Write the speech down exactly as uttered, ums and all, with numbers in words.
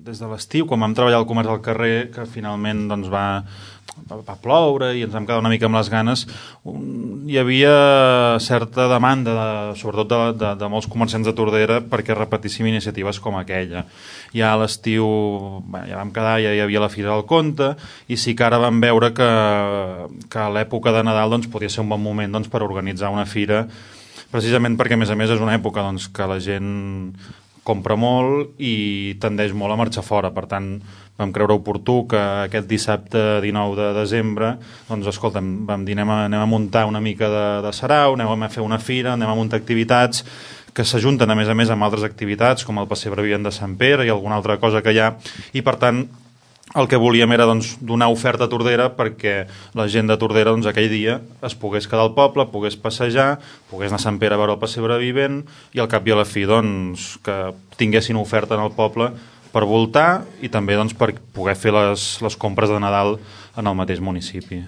des de l'estiu, quan vam treballar al comerç al carrer, que finalment doncs, va, va ploure i ens vam quedar una mica amb les ganes, un, hi havia certa demanda, de, sobretot de, de, de molts comerciants de Tordera, perquè repetíssim iniciatives com aquella. Ja a l'estiu bueno, ja vam quedar, ja hi havia la Fira del Conte, i sí que ara vam veure que, que a l'època de Nadal doncs, podia ser un bon moment doncs, per organitzar una fira, precisament perquè a més a més és una època doncs, que la gent compra molt i tendeix molt a marxar fora. Per tant, vam creure oportú que aquest dissabte dinou de desembre doncs, escolta'm, vam dir anem a, anem a muntar una mica de, de sarau, anem a fer una fira, anem a muntar activitats que s'ajunten a més a més amb altres activitats com el pessebre vivent de Sant Pere i alguna altra cosa que hi ha, i per tant el que volíem era doncs, donar oferta a Tordera perquè la gent de Tordera doncs, aquell dia es pogués quedar al poble, pogués passejar, pogués anar a Sant Pere a veure el pessebre vivent i al cap i a la fi doncs, que tinguessin oferta en el poble per voltar i també doncs, per poder fer les, les compres de Nadal en el mateix municipi.